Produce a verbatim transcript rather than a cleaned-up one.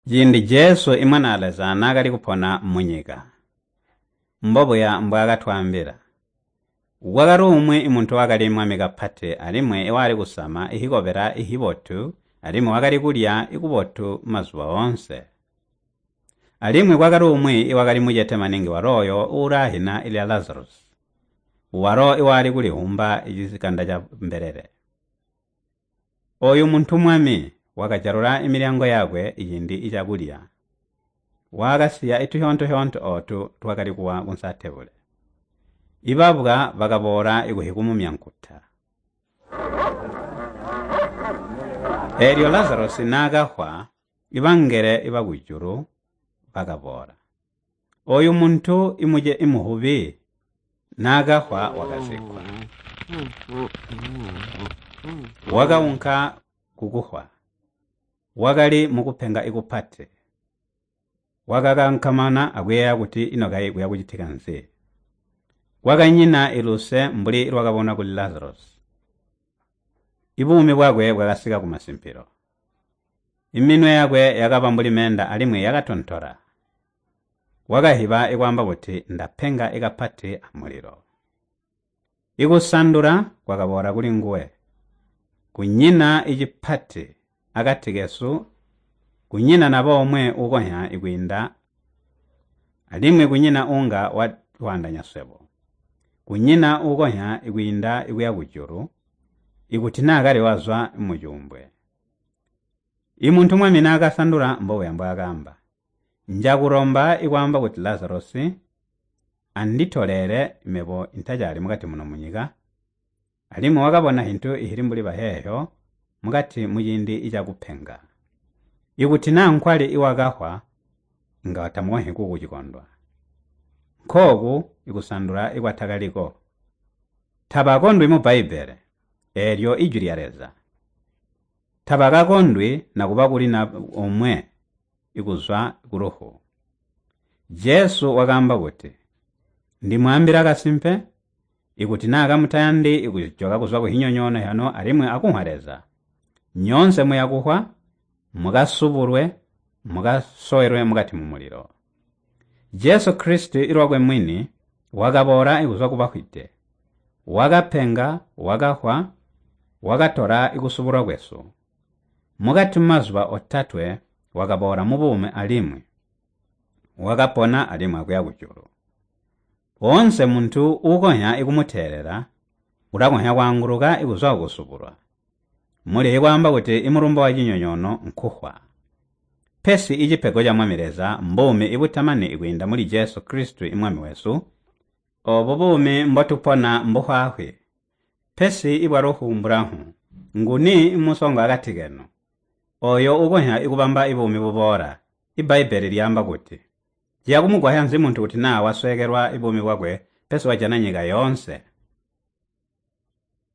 Ciindi Jesu Imwanaa Leza naakali kupona munyika, mbobuya mbwaakatwaambila. Kwakali umwi muntu wakali mwami kapati alimwi iwakali kusama ihikobela ihibotu alimwi wakali kulya kubotu mazuba oonse. Alimwi kwakali umwi iwakali mucete maningi walo oyo uulaahina lya Lazarus, walo iwakali kulihumba cikanda ca mbelele. Oyu muntu mwami wakajalula milyango yakwe ciindi cakulya. Wakasiya ituhyoonto-hyoonto ootu twakali kuwa kunsi atebule. Ibabwa bakaboola kuhikumumyankuta. Eelyo Lazarus naakahwa, ibangele bakujulu bakaboola. Oyu muntu imuce imuhubi naakahwa wakazikkwa. Wakaunka kukuhwa. Wakali mukupenga ikupati. Wakakankamana akuyeeya kuti ino kayi kuya kucitika nzi. Kwakanyina iluse mbuli lwakabonwa kuli Lazarus. Ibuumi bwakwe bwakasika kumasimpilo. Iminwe yakwe yakaba mbuli meenda alimwi yakatontola. Wakahiba ikwaamba kuti ndapenga ikapati amulilo. Ikusandula kwakaboola kuli nguwe. Kunyina icipati akati kesu, kunyina naba omwe uukonzya kwiinda, alimwi kunyina uunga watwaandanya swebo. Kunyina uukonzya kwiinda kuya kujulu, ikuti naa kali wazwa mucuumbwe. Imuntu mwami naakasandula mbobuya mbwaakaamba. Njakulomba ikwaamba kuti Lazarus anditoleele mebo intacaali mukati muno munyika, alimwi wakabona hintu ihili mbuli baheeho mukati muciindi cakupenga. Ikuti naa nkwali iwakahwa, inga tamukonzyi kukucikondwa. Nkooku ikusandula ikwatakaliko. Tabakondwi mu Bbaibbele, eelyo ijwi lya Leza. Tabakakondwi nakuba kuli na omwe ikuzwa kulufu. Jesu wakaamba kuti, ndimwaambila kasimpe, ikuti naa kamutayandi kujoka kuzwa kuhinyonyoono hyanu alimwi akunhwa Leza, nyoonse muyakuhwa, mukasubulwe, mukasowelwe mukati mumulilo. Jesu Kristu ilwakwe mwini wakaboola kuzwa kubafwide, wakapenga, wakahwa, wakatola kusubulwa kwesu. Mukati mumazuba otatwe wakaboola mubuumi alimwi wakapona alimwi akuya kujulu. Oonse muntu uukonzya ikumuteelela ulakonzya kwaanguluka kuzwa kukusubulwa. Muli ikwaamba kuti imulumbo wa cinyonyoono nkuhwa. Pesi icipego ca Mwami Leza mbuumi ibutamani kwiinda muli Jesu Kristu Imwami wesu. Oobu buumi mbotupona mbuhwaahwi. Pesi ibwalufu mbulamfu. Nguni musongo akati kenu? Oyo uukonzya ikubamba ibuumi buboola. Ibbaibbele lyaamba kuti, ciya kumugwasya nzi muntu kuti naa wasweekelwa buumi bwakwe pesi wajana nyika yoonse?